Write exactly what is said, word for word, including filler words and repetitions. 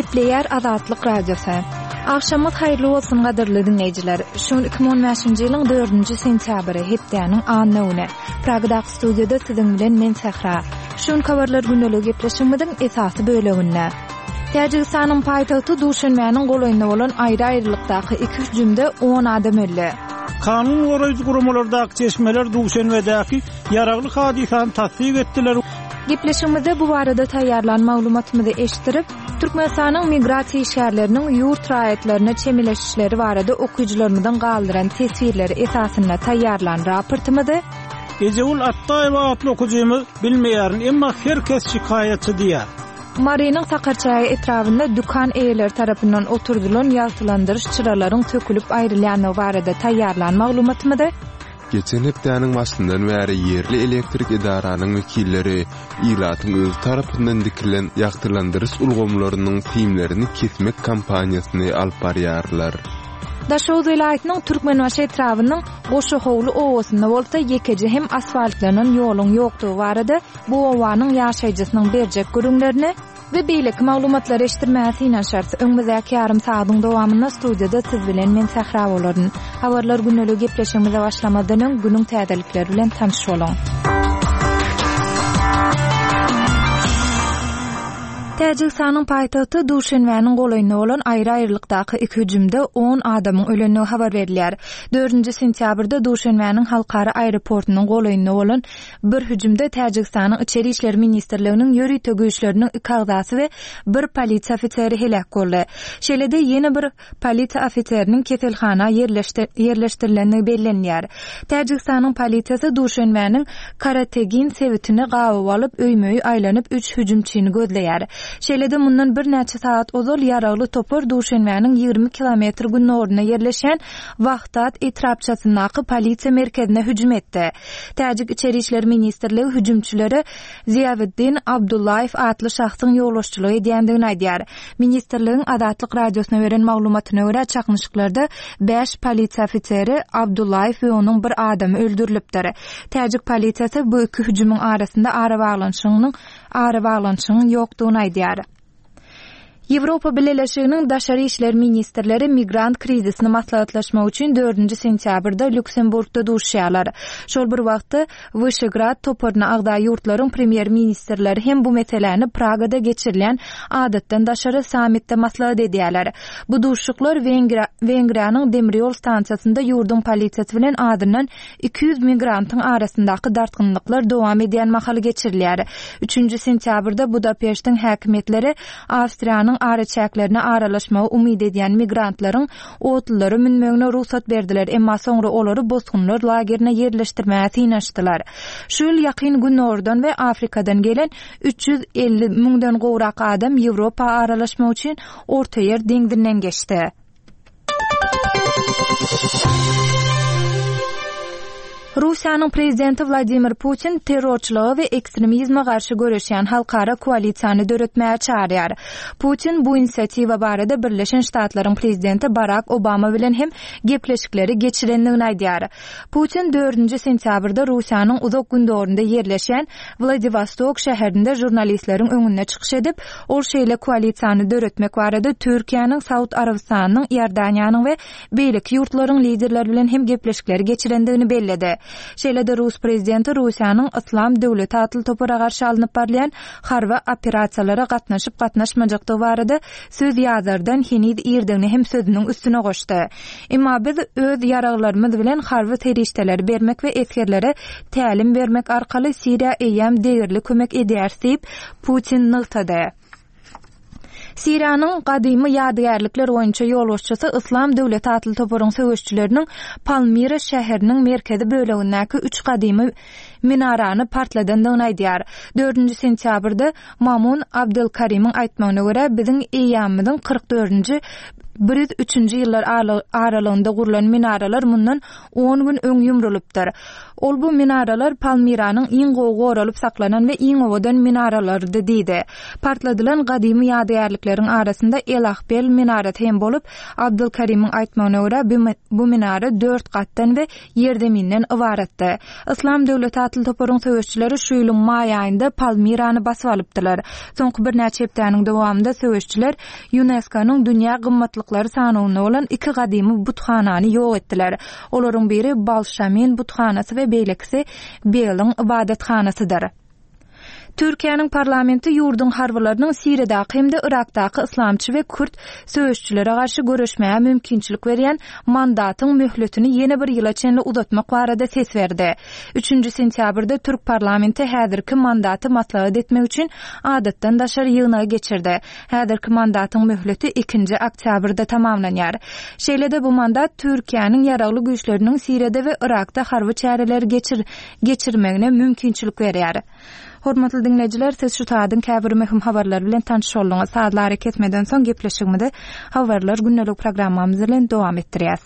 Gepleýär Azatlyk Radiosy. Agşamyňyz haýyrly bolsun gadyrly diňleýjiler. Şu gün iki müň on bäşinji ýylyň dördünji sentýabry, hepdäniň anna güni. Pragadaky studiýada siziň bilen men Sähra. Şu gün habarlar gündeligi gepleşigimiziň esasy böleginde. Täjigistanyň paýtagty Duşenbäniň golaýynda bolan aýry-aýrylykdaky iki hüjümde on adam öldi. Kanun goraýjy guramalardaky çeşmeler Duşenbedäki ýaragly hadysany tassyk etdiler. Gepleşigimizde bu barada taýýarlan maglumatymyzy eşitdirip, Türkmenistanyň migrasiýa işgärleriniň ýurt raýatlaryna çemeleşişleri barada okyjylarymyzyň galdyran teswirleri esasynda taýýarlan raportymyzy Ejegül Atdaýewa atly okyjymyz bilmeýärin, emma her kes şikaýatçy diýär. Marynyň Sakarçäge etrabynda dükan eýeleri tarapyndan oturdylan ýagtylandyryş çyralaryň sökülip aýrylýandygy barada taýýarlan maglumatymyzy Geçen hepdäniň başyndan bäri ýerli elektrik edaranyň wekilleri ilatyň öz tarapyndan dikilen ýagtylandyryş ulgamlarynyň simlerini kesmek kampaniýasyny alyp barýarlar. Daşoguz welaýatynyň Türkmenbaşy etrabynyň Goşahowly obasynda bolsa ýekeje hem asfaltlanan ýoluň ýokdugy barada bu obanyň ýaşaýjysynyň berjek gürrüňlerini we beýleki maglumatlary eşitdirmäge synanyşarys. Öňümizdäki ýarym sagatyň dowamynda studiýada siz bilen men Sähra bolaryn. Habarlar gündelik gepleşigimize başlamazdan öň günüň täzelikleri bilen tanyş boluň. Täjigistanyň paýtagty Duşenbäniň golaýynda bolan aýry-aýrylykdaky iki hüjümde on adamyň ölendigi habar berilýär. Dördünji sentýabrda Duşenbäniň halkara aeroportunyň golaýynda bolan bir hüjümde Täjigistanyň Içeri işler ministrliginiň ýörite güýçleriniň iki agzasy we bir polisiýa ofiseri heläk boldy. Şeýle-de ýene bir polisiýa ofiseriniň keselhana ýerleşdirilendigi bellenýär. Täjigistanyň polisiýasy Duşenbäniň Karategin sebitini gabaw alyp, öýmöýi aýlanyp üç hüjümçini gözleýär. Şeýle-de mundan birnäçe saat ozal ýaragly topar Duşenbäniň ýigrimi kilometr gündogarynda ýerleşen Wahdat etrapçasyndaky polisiýa merkezine hüjüm etdi. Täjik İçeri işler ministrligi hüjümçilere Ziýaweddin Abdullaýew atly şahsyň ýolbaşçylyk edýändigini aýdýar. Ministrligiň Azatlyk radiosyna beren maglumatyna görä çaknyşyklarda bäş polisiýa ofiseri Abdullaýew we onuň bir adamy öldürilipdir. Täjik polisiýasy bu iki hüjümiň arasynda arabaglanyşygynyň arabaglanyşygyň ýokdugyny aýdýar. Ýewropa Bileleşiginiň daşary işler ministrleri migrant krizisini maslahatlaşmak üçin dördünji sentýabrda Lüksemburgda duşýarlar. Şol bir wagtda Wyşegrad toparyna agza ýurtlaryň premýer-ministrleri hem bu meseläni Pragada geçirilen adatdan daşary sammitde maslahat edýärler. Bu duşuşyklar Wengriýa, Wengriýanyň demir ýol stansiýasynda ýurduň polisiýasy bilen azyndan iki ýüz migrantyň arasyndaky dartgynlyklar dowam edýän mahaly geçirilýär. Üçünji sentýabrda Budapeştiň häkimiýetleri Awstriýanyň araçäklerine aralaşmagy umyt edýän migrantlaryň otlulara münmegine rugsat berdiler, emma soňra olary bosgunlar lagerine ýerleşdirmäge synanyşdylar. Şu ýyl ýakyn Günordan we Afrikadan gelen üç ýüz elli müňden gowrak adam Ýewropa aralaşmak üçin Ortaýer deňzinden geçdi. Russiýanyň prezidenti Wladimir Putin terrorçylyga we ekstremizme garşy göreşýän halkara koalisiýany döretmäge çağırýar. Putin bu inisiatiwa barada Birleşen Ştatlaryň prezidenti Barack Obama bilen hem gepleşikleri geçirendigini aýdýar. Putin dördünji sentýabrda Russiýanyň uzak gündogunda ýerleşen Wladivostok şäherinde jurnalistleriň öňünde çykyş edip, ol şeýle koalisiýany döretmek barada Türkiýäniň, Saud Arabystanynyň, Iordaniýanyň we beýleki ýurtlaryň liderleri bilen hem gepleşikleri geçirendigini belledi. Şeýle-de Rus prezidenti Russiýanyň Islam döwleti atly topara garşy alnyp barylýan harby operasiýalara gatnaşyp gatnaşmajakdygy barada söz ýazardan heniz irdigini hem sözüniň üstüne goşdy. Emma biz öz ýaraglarymyz bilen harby serişdeleri bermek we esgerlere tälim bermek arkaly Siriýa eýýäm degerli kömek edýär diýip Putin nygtady. Siriýanyň gadymy ýadygärlikler boýunça ýolbaşçysy Islam döwleti atly toparyň söweşçileriniň Palmira şäheriniň merkezi bölegindäki üç gadymy minarany partladandygyny aýdýar. Dördünji sentýabrda Mamun Abdülkarim'iň aýtmagyna görä biziň eýýamymyzyň kyrk dördünji bir ýüz üçünji ýyllar aralygynda gurlan minaralar mundan on gün öň ýumrulypdyr. Ol bu minaralar Palmiranyň iň gowy goralyp saklanan we iň owadan minaralarydy diýdi. Partladylan gadymy ýadygärlikleriň arasynda El-Ahbel minarasy hem bolup, Abdulkarimiň aýtmagyna görä bu minara dört gatdan we ýerzeminden ybaratdy. Yslam döwleti atly toparyň söweşçileri şu ýylyň maý aýynda Palmirany basyp alypdylar. Soňky birnäçe hepdäniň dowamynda söweşçiler UNESCO-nyň dünýä gymmatlyklary sanawynda bolan iki gadymy buthanany ýok etdiler. Olaryň biri Balşamin buthanasy we beýlekisi Beliň ybadathanasydyr. Türkiýäniň parlamenti ýurduň harbylarynyň Siriýadaky hem-de Yrakdaky yslamçy we kürt söweşçilere garşy göreşmäge mümkinçilik berýän mandatyň möhletini ýene bir ýyla çenli uzatmak barada ses berdi. Üçünji sentýabrda Türk parlamenti häzirki mandaty maslahat etmek üçin adatdan daşary ýygnagy geçirdi. Häzirki mandatyň möhleti ikinji oktýabrda tamamlanýar. Şeýle-de bu mandat Türkiýäniň ýaragly güýçleriniň Siriýada we Yrakda harby çäreleri geçir geçirmegine mümkinçilik berýär. Hormatly dinleýjiler, siz şu saadyň käbir möhüm habarlary bilen tanyş bolduňyz. Sazlary kesmeden soň gepleşigimizi habarlar gündelik programmamyz bilen dowam etdirýäs.